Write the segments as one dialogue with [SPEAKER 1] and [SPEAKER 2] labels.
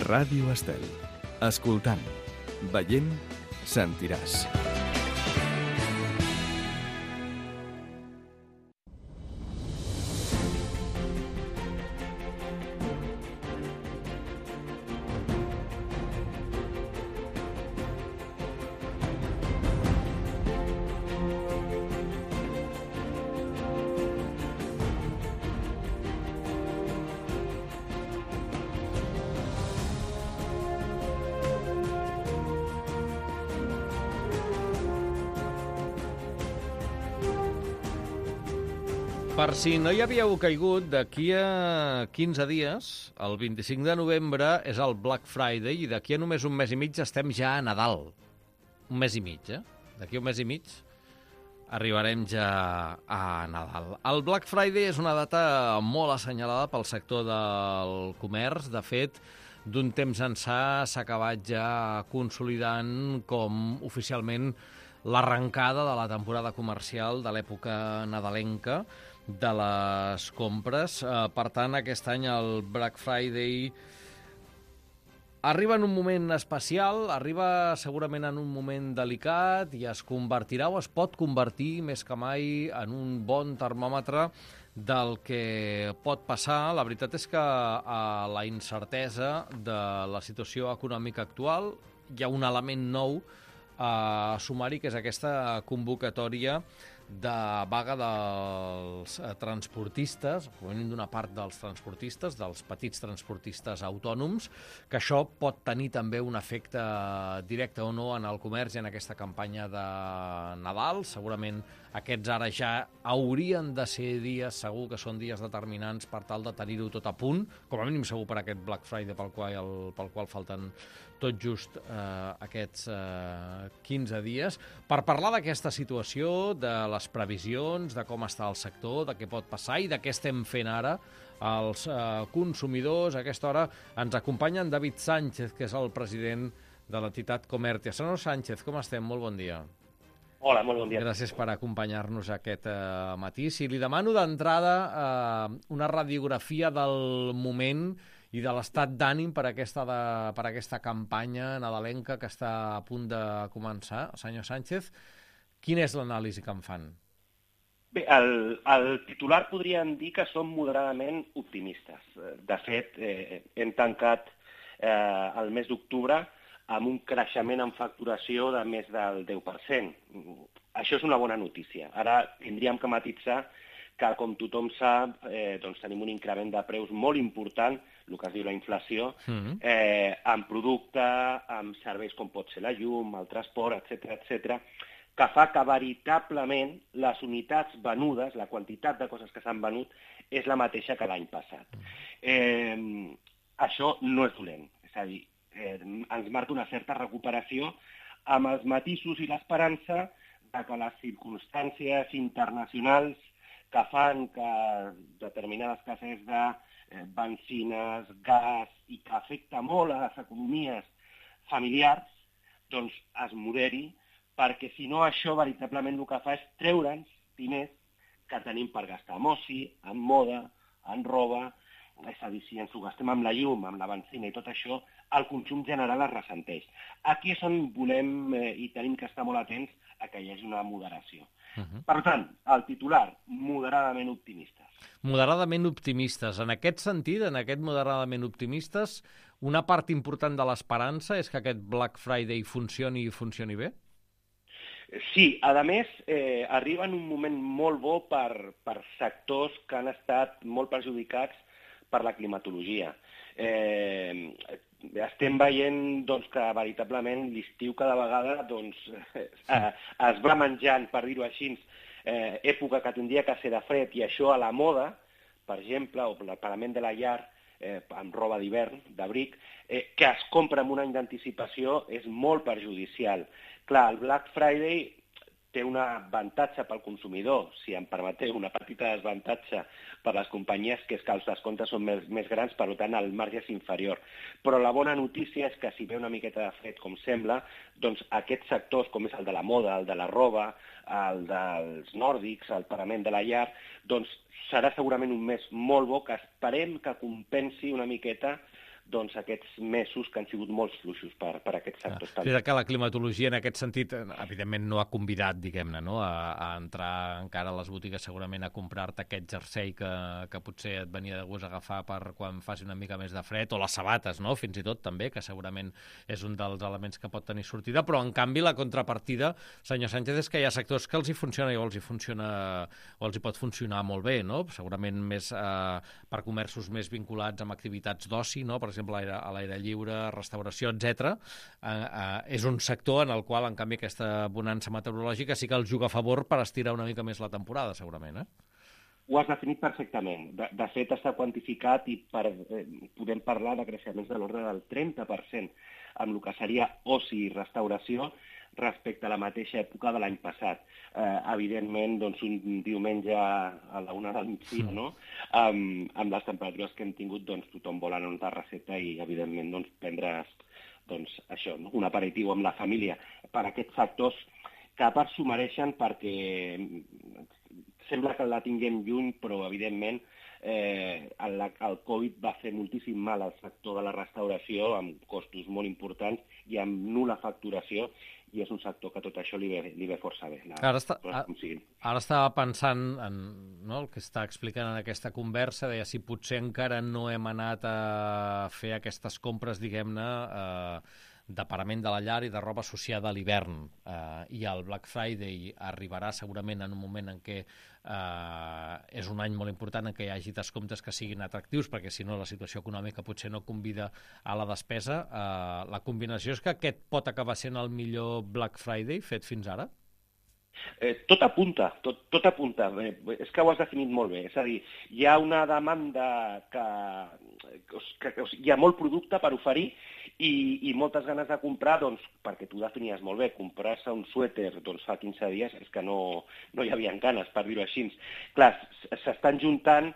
[SPEAKER 1] Ràdio Estel. Escoltant, veient, sentiràs.
[SPEAKER 2] Per si no hi havíeu caigut, d'aquí a 15 dies, el 25 de novembre, és el Black Friday i d'aquí a només un mes i mig estem ja a Nadal. Un mes i mig, D'aquí a un mes i mig arribarem ja a Nadal. El Black Friday és una data molt assenyalada pel sector del comerç. De fet, d'un temps ençà s'ha acabat ja consolidant com oficialment l'arrencada de la temporada comercial de l'època nadalenca de les compres. Per tant, aquest any el Black Friday arriba en un moment especial, arriba segurament en un moment delicat i es convertirà o es pot convertir més que mai en un bon termòmetre del que pot passar. La veritat és que a la incertesa de la situació econòmica actual hi ha un element nou a sumar-hi, que és aquesta convocatòria de vaga dels transportistes, provenint d'una part dels transportistes, dels petits transportistes autònoms, que això pot tenir també un efecte directe o no en el comerç i en aquesta campanya de Nadal. Segurament aquests ara ja haurien de ser dies, segur que són dies determinants per tal de tenir-ho tot a punt, com a mínim segur per aquest Black Friday pel qual falten tot just aquests 15 dies, per parlar d'aquesta situació, de les previsions, de com està el sector, de què pot passar i de què estem fent ara els consumidors. A aquesta hora ens acompanya en David Sánchez, que és el president de l'entitat Comertia. Senyor Sánchez, com estem? Molt bon dia.
[SPEAKER 3] Hola, molt bon dia.
[SPEAKER 2] Gràcies per acompanyar-nos aquest matí. Si li demano d'entrada una radiografia del moment i de l'estat d'ànim per aquesta campanya nadalenca que està a punt de començar, senyor Sánchez, quina és l'anàlisi que en fan?
[SPEAKER 3] Bé, el titular podríem dir que som moderadament optimistes. De fet, hem tancat el mes d'octubre amb un creixement en facturació de més del 10%. Això és una bona notícia. Ara tindríem que matisar que, com tothom sap, doncs tenim un increment de preus molt important, el que es diu la inflació, en producte, en serveis com pot ser la llum, el transport, etc., que fa que veritablement les unitats venudes, la quantitat de coses que s'han venut, és la mateixa que l'any passat. Això no és dolent, és a dir, ens marca una certa recuperació amb els matisos i l'esperança que les circumstàncies internacionals que fan que determinades escasses de benzines, gas, i que afecta molt a les economies familiars, doncs es moderi, perquè si no això veritablement el que fa és treure'ns diners que tenim per gastar en oci, en moda, en roba. És a dir, si ens ho gastem amb la llum, amb la benzina i tot això, el consum general es ressenteix. Aquí és on volem i tenim que estar molt atents a que hi hagi una moderació. Per tant, el titular, moderadament optimistes.
[SPEAKER 2] Moderadament optimistes. En aquest sentit, en aquest moderadament optimistes, una part important de l'esperança és que aquest Black Friday funcioni i funcioni bé?
[SPEAKER 3] Sí, a més, arriba en un moment molt bo per sectors que han estat molt perjudicats per la climatologia. Estem veient doncs, que veritablement l'estiu cada vegada doncs, es va menjant, per dir-ho així, època que tindria que ser de fred, i això a la moda, per exemple, o el pagament de la llar, amb roba d'hivern, d'abric, que es compra amb un any d'anticipació és molt perjudicial. Clar, el Black Friday té un avantatge pel consumidor, si em permeteu, una petita desavantatge per les companyies, que és que els descomptes són més grans, per tant el marge és inferior. Però la bona notícia és que si ve una miqueta de fred, com sembla, doncs aquests sectors, com és el de la moda, el de la roba, el dels nòrdics, el pagament de la llar, doncs serà segurament un mes molt bo que esperem que compensi una miqueta doncs, aquests mesos que han sigut molt fluixos per aquests sectors.
[SPEAKER 2] És que la climatologia en aquest sentit, evidentment, no ha convidat, diguem-ne, no? a entrar encara a les botigues segurament a comprar-te aquest jersei que potser et venia de gust agafar per quan faci una mica més de fred, o les sabates, no? Fins i tot també, que segurament és un dels elements que pot tenir sortida, però en canvi la contrapartida, senyor Sánchez, és que hi ha sectors que els hi funciona o els hi pot funcionar molt bé, no? Segurament més per comerços més vinculats amb activitats d'oci, no? Per exemple, a l'aire lliure, restauració, etc. És un sector en el qual, en canvi, aquesta bonança meteorològica sí que els juga a favor per estirar una mica més la temporada, segurament,
[SPEAKER 3] Ho has definit perfectament. De fet, està quantificat i podem parlar de creixements de l'ordre del 30% amb el que seria oci i restauració respecte a la mateixa època de l'any passat. Evidentment, doncs, un diumenge a la 1 del migdia, no? Amb les temperatures que hem tingut, doncs, tothom vol anar a una terrasseta i, evidentment, doncs, prendre's això, no? Un aperitiu amb la família per a aquests sectors que a part s'ho mereixen perquè sembla que la tinguem lluny, però, evidentment, el Covid va fer moltíssim mal al sector de la restauració, amb costos molt importants i amb nul·la facturació, i és un sector que tot això li ve força bé.
[SPEAKER 2] Ara estava pensant en el que està explicant en aquesta conversa, deia si potser encara no hem anat a fer aquestes compres, diguem-ne, de parament de la llar i de roba associada a l'hivern. I el Black Friday arribarà segurament en un moment en què és un any molt important en què hi hagi descomptes que siguin atractius, perquè si no la situació econòmica potser no convida a la despesa. La combinació és que aquest pot acabar sent el millor Black Friday fet fins ara?
[SPEAKER 3] Tot apunta, tot apunta. És que ho has definit molt bé. És a dir, hi ha una demanda que hi ha molt producte per oferir i moltes ganes de comprar, doncs, perquè tu definies molt bé, comprar-se un suèter doncs, fa 15 dies és que no hi havia ganes, per dir-ho així. Clar, s'estan juntant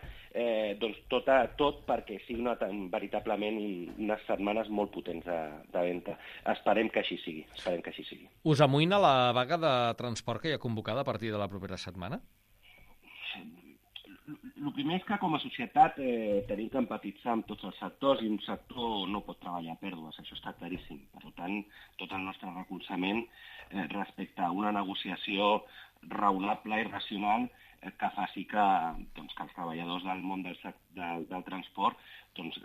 [SPEAKER 3] doncs, tot perquè sigui veritablement unes setmanes molt potents de venda. Esperem que així sigui.
[SPEAKER 2] Us amoïna la vaga de transport que hi ha convocada a partir de la propera setmana?
[SPEAKER 3] El primer és que com a societat tenim que empatitzar amb tots els sectors i un sector no pot treballar a pèrdues, això està claríssim. Per tant, tot el nostre recolzament respecte a una negociació raonable i racional que faci que els treballadors del món del transport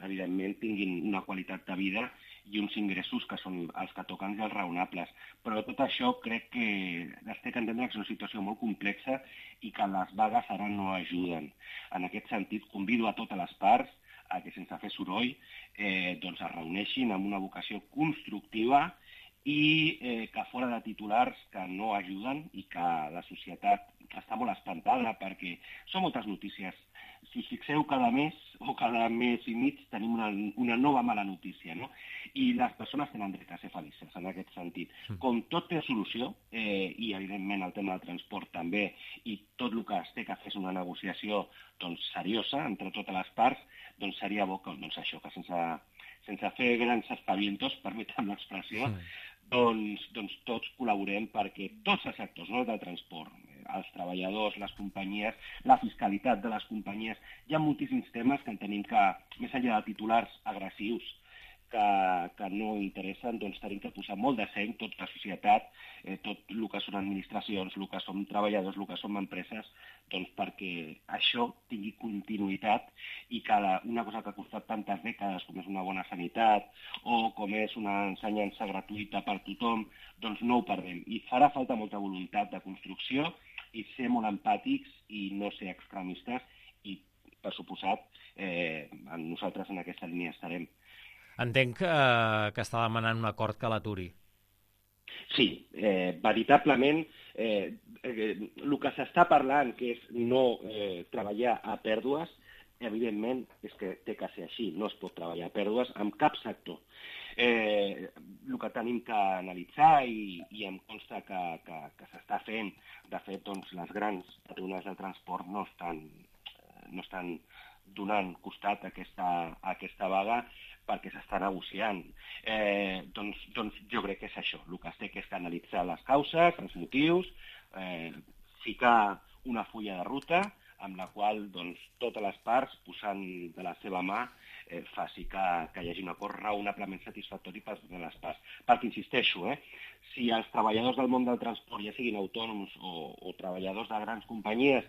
[SPEAKER 3] evidentment tinguin una qualitat de vida i uns ingressos que són els que toquen i els raonables. Però tot això crec que es té que entendre que és una situació molt complexa i que les vagues ara no ajuden. En aquest sentit, convido a totes les parts a que sense fer soroll es reuneixin amb una vocació constructiva i que fora de titulars que no ajuden i que la societat està molt espantada perquè són moltes notícies. Si us fixeu, cada mes o cada mes i mig tenim una nova mala notícia, no? I les persones tenen dret a ser felices en aquest sentit. Com tot té solució, i evidentment el tema del transport també, i tot el que es té que fer és una negociació seriosa entre totes les parts, seria bo que, això, que sense fer grans espavientos, permetem l'expressió, tots col·laborem perquè tots els sectors, no del transport, els treballadors, les companyies, la fiscalitat de les companyies, hi ha moltíssims temes que entenem que, més enllà de titulars agressius que no interessen, tenim que posar molt de seny, tota la societat, tot el que són administracions, el que són treballadors, el que són empreses, perquè això tingui continuïtat i que una cosa que ha costat tantes dècades, com és una bona sanitat o com és una ensenyança gratuïta per tothom, no ho perdem. I farà falta molta voluntat de construcció i ser molt empàtics i no ser extremistes i, per suposat, nosaltres en aquesta línia estarem.
[SPEAKER 2] Entenc que està demanant un acord que l'aturi.
[SPEAKER 3] Sí, veritablement el que s'està parlant, que és no treballar a pèrdues, evidentment és que té que ser així, no es pot treballar a pèrdues amb cap sector. El que tenim que analitzar i em consta que s'està fent, de fet, les grans patronals de transport no estan donant costat a aquesta vaga perquè s'està negociant. Jo crec que és això. El que es té que és analitzar les causes, els motius, ficar una fulla de ruta amb la qual doncs, totes les parts, posant de la seva mà, faci que hi hagi un acord raonablement satisfactori per les parts. Perquè, insisteixo, si els treballadors del món del transport, ja siguin autònoms o treballadors de grans companyies,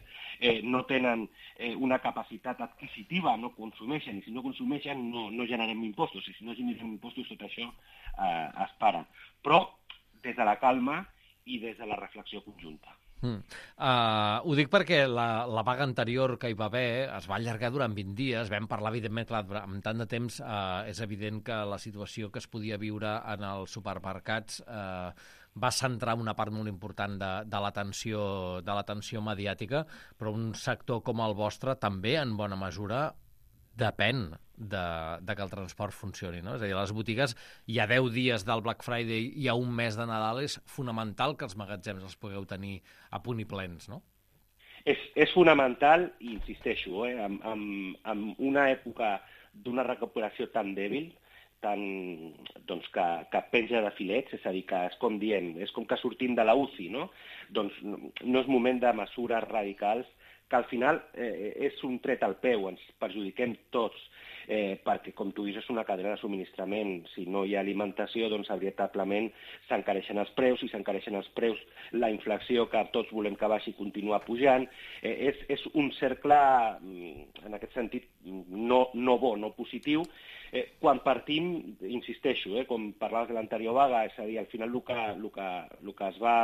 [SPEAKER 3] no tenen una capacitat adquisitiva, no consumeixen, i si no consumeixen no generem impostos, i si no generem impostos tot això es para. Però des de la calma i des de la reflexió conjunta.
[SPEAKER 2] Ho dic perquè la vaga anterior que hi va haver es va allargar durant 20 dies, vam parlar, evidentment, clar, amb tant de temps és evident que la situació que es podia viure en els supermercats va centrar una part molt important de l'atenció mediàtica, però un sector com el vostre també, en bona mesura, depèn de que el transport funcioni, no? És a dir, a les botigues hi ha 10 dies del Black Friday i hi ha un mes de Nadal, és fonamental que els magatzems els pugueu tenir a punt i plens, no?
[SPEAKER 3] És fonamental, i insisteixo, en una època d'una recuperació tan dèbil, doncs que penja de filets, és a dir, que és com diem, és com que sortim de la UCI, no? Doncs no és moment de mesures radicals, que al final és un tret al peu, ens perjudiquem tots, perquè, com tu dius, és una cadena de subministrament. Si no hi ha alimentació, doncs, veritablement, s'encareixen els preus, i s'encareixen els preus, la inflació, que tots volem que baixi, continua pujant. És un cercle, en aquest sentit, no bo, no positiu. Quan partim, insisteixo, com parlaves de l'anterior vaga, és a dir, al final el que es va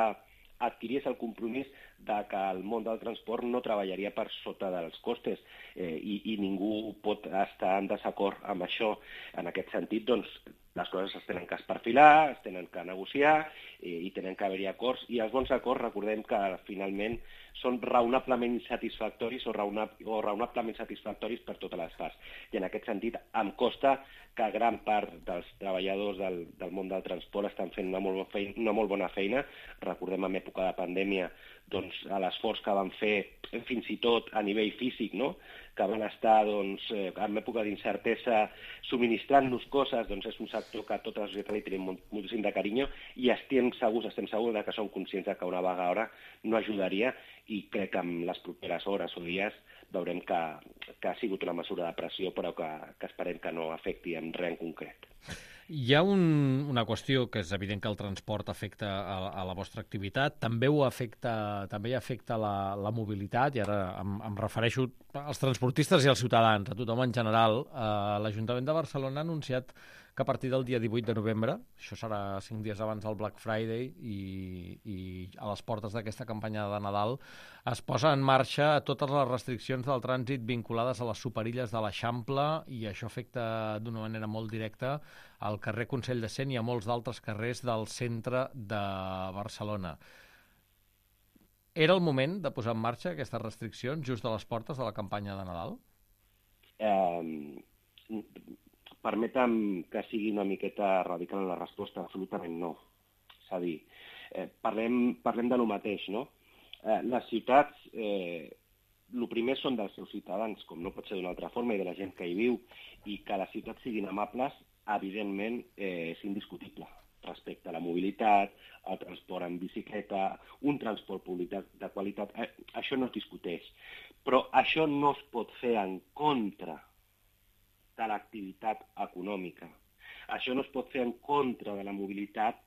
[SPEAKER 3] adquirir és el compromís de que el món del transport no treballaria per sota dels costes i ningú pot estar en desacord amb això. En aquest sentit, doncs, les coses es tenen que esperfilar, es tenen que negociar i tenen que haver-hi acords, i els bons acords, recordem que finalment són raonablement satisfactoris o raonablement satisfactoris per totes les parts. I en aquest sentit em consta que gran part dels treballadors del món del transport estan fent una molt bona feina. Recordem en època de pandèmia doncs, l'esforç que van fer, fins i tot a nivell físic, no? Que van estar en època d'incertesa subministrant-nos coses, doncs és un sector que tota la societat li tenim moltíssim de carinyo, i estem segurs que són conscients que una vaga ara no ajudaria, i crec que en les properes hores o dies veurem que ha sigut una mesura de pressió, però que esperem que no afecti en res en concret.
[SPEAKER 2] Hi ha una qüestió que és evident que el transport afecta a la vostra activitat, també afecta la mobilitat, i ara em refereixo als transportistes i als ciutadans, a tothom en general. L'Ajuntament de Barcelona ha anunciat que a partir del dia 18 de novembre, això serà 5 dies abans del Black Friday i a les portes d'aquesta campanya de Nadal, es posa en marxa totes les restriccions del trànsit vinculades a les superilles de l'Eixample, i això afecta d'una manera molt directa al carrer Consell de Cent i a molts d'altres carrers del centre de Barcelona. Era el moment de posar en marxa aquestes restriccions just a les portes de la campanya de Nadal?
[SPEAKER 3] Permetem que sigui una miqueta radical en la resposta, absolutament no. És a dir, parlem de lo mateix, no? Les ciutats, el primer són dels seus ciutadans, com no pot ser d'una altra forma, i de la gent que hi viu, i que les ciutats siguin amables, evidentment, és indiscutible respecte a la mobilitat, al transport en bicicleta, un transport públic de qualitat. Això no es discuteix. Però això no es pot fer en contra de l'activitat econòmica. Això no es pot fer en contra de la mobilitat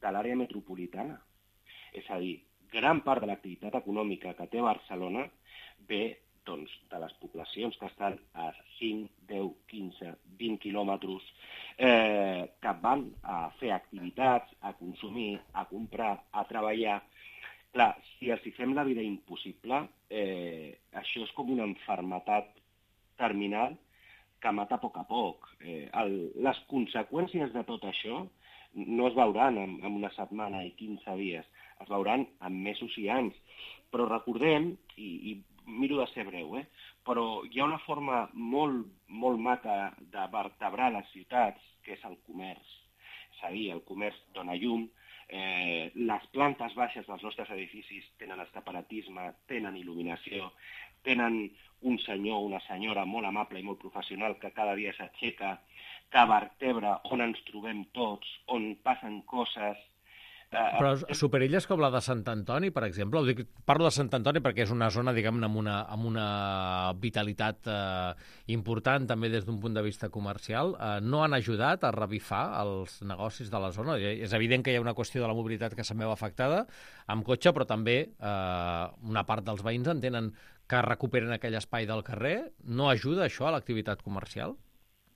[SPEAKER 3] de l'àrea metropolitana. És a dir, gran part de l'activitat econòmica que té Barcelona ve doncs, de les poblacions que estan a 5, 10, 15, 20 quilòmetres, que van a fer activitats, a consumir, a comprar, a treballar. Clar, si els hi fem la vida impossible, això és com una malaltia terminal que mata a poc. Les conseqüències de tot això no es veuran en una setmana i 15 dies, es veuran en mesos i anys. Però recordem, i miro de ser breu, però hi ha una forma molt maca de vertebrar les ciutats, que és el comerç. És a dir, el comerç dona llum, les plantes baixes dels nostres edificis tenen escaparatisme, tenen il·luminació, tenen un senyor o una senyora molt amable i molt professional que cada dia s'aixeca, que vertebra on ens trobem tots, on passen coses.
[SPEAKER 2] Però superilles com la de Sant Antoni, per exemple, parlo de Sant Antoni perquè és una zona, diguem-ne, amb una vitalitat important també des d'un punt de vista comercial, no han ajudat a revifar els negocis de la zona. És evident que hi ha una qüestió de la mobilitat que se'n veu afectada amb cotxe, però també una part dels veïns entenen que recuperen aquell espai del carrer. No ajuda això a l'activitat comercial?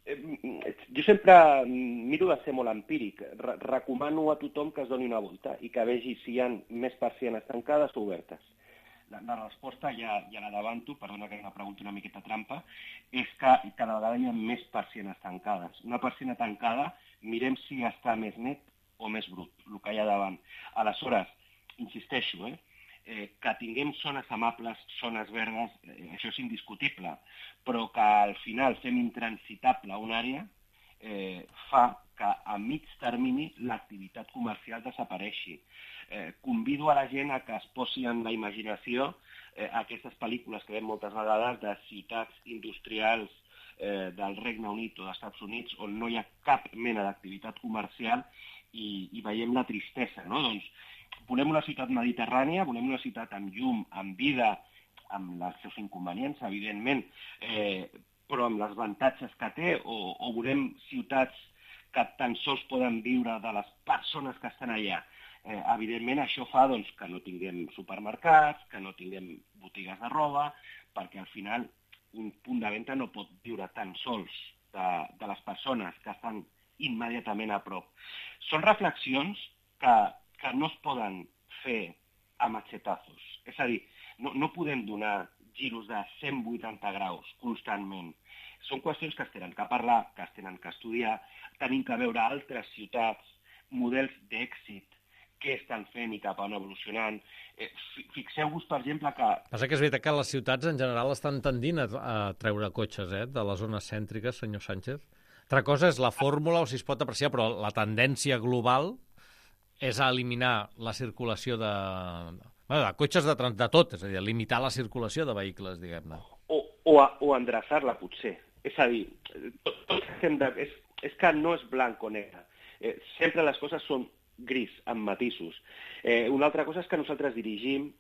[SPEAKER 3] Jo sempre miro de ser molt empíric. Recomano a tothom que es doni una volta i que vegi si hi ha més persianes tancades o obertes. La resposta, ja l'avanto, perdona que és una pregunta una miqueta trampa, és que cada vegada hi ha més persianes tancades. Una persiana tancada, mirem si està més net o més brut, el que hi ha davant. Aleshores, insisteixo, que tinguem zones amables, zones verdes, això és indiscutible, però que al final fem intransitable una àrea fa que a mig termini l'activitat comercial desapareixi. Convido a la gent a que es posi en la imaginació aquestes pel·lícules que veiem moltes vegades de ciutats industrials del Regne Unit o dels Estats Units on no hi ha cap mena d'activitat comercial i veiem la tristesa, no? Doncs volem una ciutat mediterrània, volem una ciutat amb llum, amb vida, amb els seus inconvenients, evidentment, però amb els avantatges que té, o volem ciutats que tan sols poden viure de les persones que estan allà. Evidentment, això fa doncs, que no tinguem supermercats, que no tinguem botigues de roba, perquè al final un punt de venda no pot viure tan sols de les persones que estan immediatament a prop. Són reflexions que no es poden fer a machetazos. És a dir, no podem donar giros de 180 graus constantment. Són qüestions que es tenen que parlar, que es tenen que estudiar, tenim que veure altres ciutats, models d'èxit, què estan fent i cap on evolucionant. Fixeu-vos, per exemple, que...
[SPEAKER 2] Passa que és veritat que les ciutats en general estan tendint a treure cotxes de les zones cèntriques, senyor Sánchez. Altra cosa és la fórmula o si es pot apreciar, però la tendència global és a eliminar la circulació de cotxes de tot, és a dir, limitar la circulació de vehicles, diguem-ne.
[SPEAKER 3] O endreçar-la, potser. És a dir, és que no és blanc o negre. Sempre les coses són gris, amb matisos. Una altra cosa és que nosaltres dirigim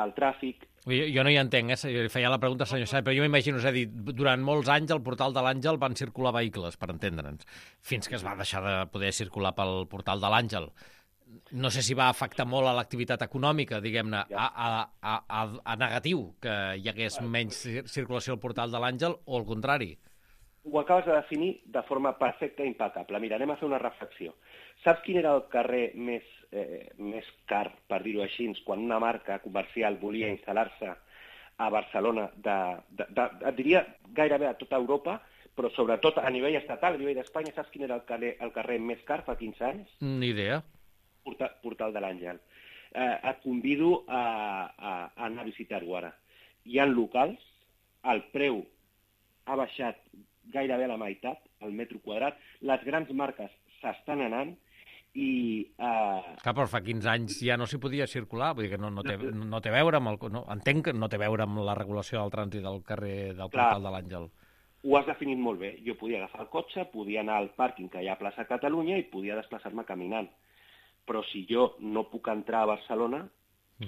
[SPEAKER 3] el tràfic...
[SPEAKER 2] Jo no hi entenc, feia la pregunta al senyor Sánchez, però jo m'imagino, és a dir, durant molts anys al portal de l'Àngel van circular vehicles, per entendre'ns, fins que es va deixar de poder circular pel portal de l'Àngel. No sé si va afectar molt a l'activitat econòmica, diguem-ne, a negatiu, que hi hagués menys circulació al portal de l'Àngel, o al contrari.
[SPEAKER 3] Ho acabes de definir de forma perfecta i impecable. Mira, anem a fer una reflexió. Saps quin era el carrer més car, per dir-ho així, quan una marca comercial volia instal·lar-se a Barcelona, et diria gairebé a tota Europa, però sobretot a nivell estatal, a nivell d'Espanya, saps quin era el carrer més car fa 15 anys?
[SPEAKER 2] Ni idea.
[SPEAKER 3] Portal de l'Àngel. Et convido a anar a visitar-ho ara. Hi ha locals, el preu ha baixat gairebé a la meitat, el metro quadrat, les grans marques s'estan anant i...
[SPEAKER 2] Clar, però fa 15 anys ja no s'hi podia circular, vull dir que no té a veure amb entenc que no té a veure amb la regulació del trànsit del carrer del portal de l'Àngel.
[SPEAKER 3] Ho has definit molt bé. Jo podia agafar el cotxe, podia anar al pàrquing que hi ha a plaça Catalunya i podia desplaçar-me caminant. Però si jo no puc entrar a Barcelona,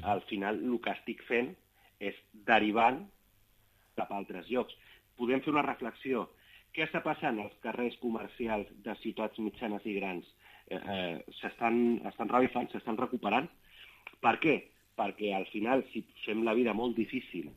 [SPEAKER 3] al final el que estic fent és derivant cap a altres llocs. Podem fer una reflexió. Què està passant als carrers comercials de ciutats mitjanes i grans? S'estan revifant, s'estan recuperant. Per què? Perquè al final, si fem la vida molt difícil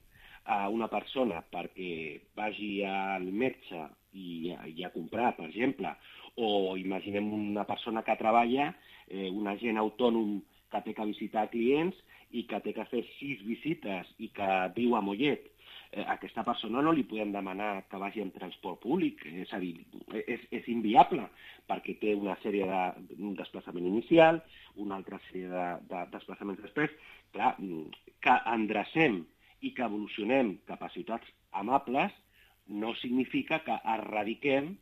[SPEAKER 3] a una persona perquè vagi al metge i a comprar, per exemple, o imaginem una persona que treballa, un agent autònom que té que visitar clients i que té que fer 6 visites i que viu a Mollet. A aquesta persona no li podem demanar que vagi en transport públic, és a dir, és inviable, perquè té una sèrie de desplaçament inicial, una altra sèrie de desplaçaments després. Clar, que endrecem i que evolucionem cap a ciutats amables no significa que erradiquem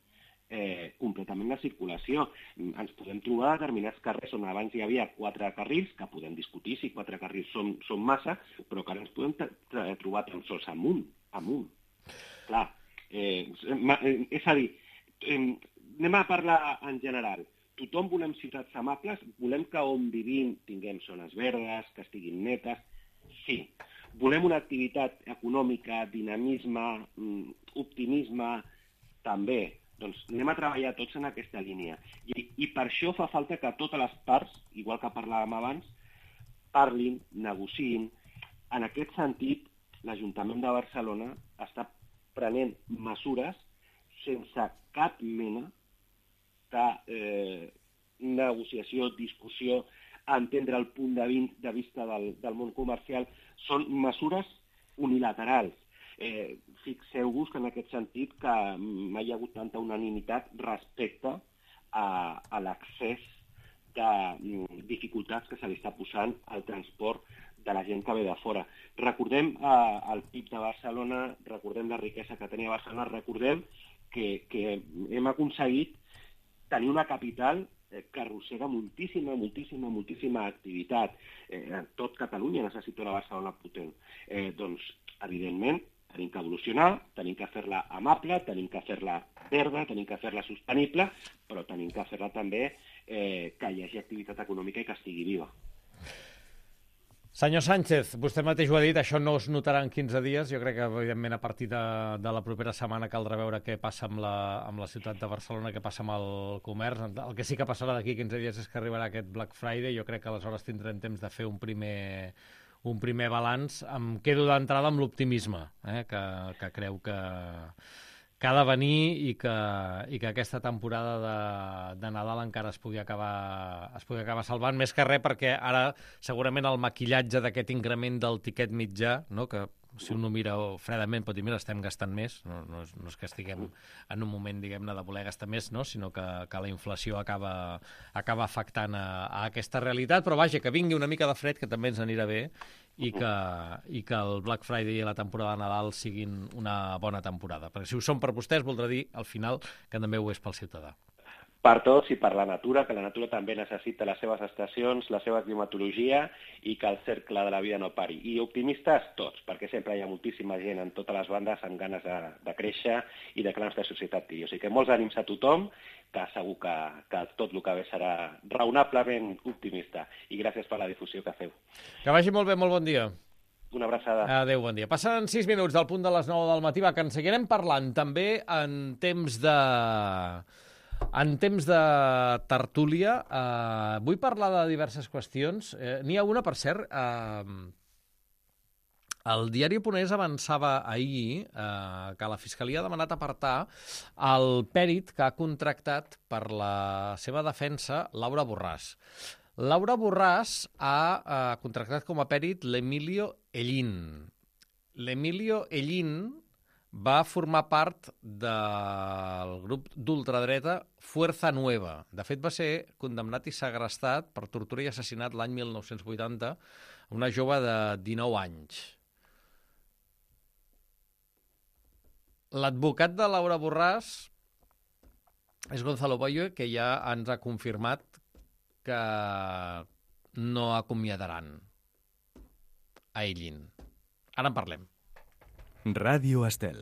[SPEAKER 3] completament la circulació. Ens podem trobar a determinats carrers on abans hi havia 4 carrils, que podem discutir si 4 carrils són massa, però que ara ens podem trobar tan sols amunt. Clar, és a dir, anem a parlar en general. tothom volem ciutats amables, volem que on vivim tinguem zones verdes, que estiguin netes, sí. Volem una activitat econòmica, dinamisme, optimisme, també. Doncs anem a treballar tots en aquesta línia. I per això fa falta que totes les parts, igual que parlàvem abans, parlin, negociïn. En aquest sentit, l'Ajuntament de Barcelona està prenent mesures sense cap mena de negociació, discussió, entendre el punt de vista del món comercial. Són mesures unilaterals. Fixeu-vos que en aquest sentit que mai hi ha hagut tanta unanimitat respecte a l'accés de dificultats que se li està posant al transport de la gent que ve de fora. Recordem el PIB de Barcelona, recordem la riquesa que tenia Barcelona, recordem que hem aconseguit tenir una capital que arrossega moltíssima activitat. Tot Catalunya necessita una Barcelona potent. Doncs, evidentment, tenim que evolucionar, tenim que fer-la amable, tenim que fer-la verda, tenim que fer-la sostenible, però tenim que fer-la també que hi hagi activitat econòmica i que estigui viva.
[SPEAKER 2] Senyor Sánchez, vostè mateix ho ha dit, això no es notarà en 15 dies. Jo crec que, evidentment, a partir de la propera setmana caldrà veure què passa amb la ciutat de Barcelona, què passa amb el comerç. El que sí que passarà d'aquí 15 dies és que arribarà aquest Black Friday. Jo crec que aleshores tindrem temps de fer un primer balanç. Em quedo d'entrada amb l'optimisme, que creu que ha de venir i que aquesta temporada de Nadal encara es pugui acabar salvant, més que res perquè ara segurament el maquillatge d'aquest increment del tiquet mitjà, no, que si un ho mira fredament pot dir, mira, estem gastant més, no és que estiguem en un moment, diguem-ne, de voler gastar més, no, sinó que la inflació acaba afectant a aquesta realitat, però vaja, que vingui una mica de fred, que també ens anirà bé, i que el Black Friday i la temporada de Nadal siguin una bona temporada. Perquè si ho són per vostès, voldrà dir, al final, que també ho és pel ciutadà.
[SPEAKER 3] Per tots i per la natura, que la natura també necessita les seves estacions, la seva climatologia i que el cercle de la vida no pari. I optimistes tots, perquè sempre hi ha moltíssima gent en totes les bandes amb ganes de créixer i de que la nostra societat tingui. O sigui que molts ànims a tothom, que segur que tot el que ve serà raonablement optimista. I gràcies per la difusió que feu.
[SPEAKER 2] Que vagi molt bé, molt bon dia.
[SPEAKER 3] Una abraçada.
[SPEAKER 2] Adéu, bon dia. Passen 6 minuts del punt de les 9 del matí, que en seguirem parlant també en temps de tertúlia. Vull parlar de diverses qüestions. N'hi ha una, per cert, el diari.es avançava ahir que la Fiscalia ha demanat apartar el pèrit que ha contractat per la seva defensa Laura Borràs. Laura Borràs ha contractat com a pèrit l'Emilio Ellín. L'Emilio Ellín va formar part del grup d'ultradreta Fuerza Nueva. De fet, va ser condemnat i segrestat per tortura i assassinat l'any 1980 una jove de 19 anys. L'advocat de Laura Borràs és Gonzalo Boyo, que ja ens ha confirmat que no acomiadaran a Ellín. Ara en parlem.
[SPEAKER 1] Ràdio Estel.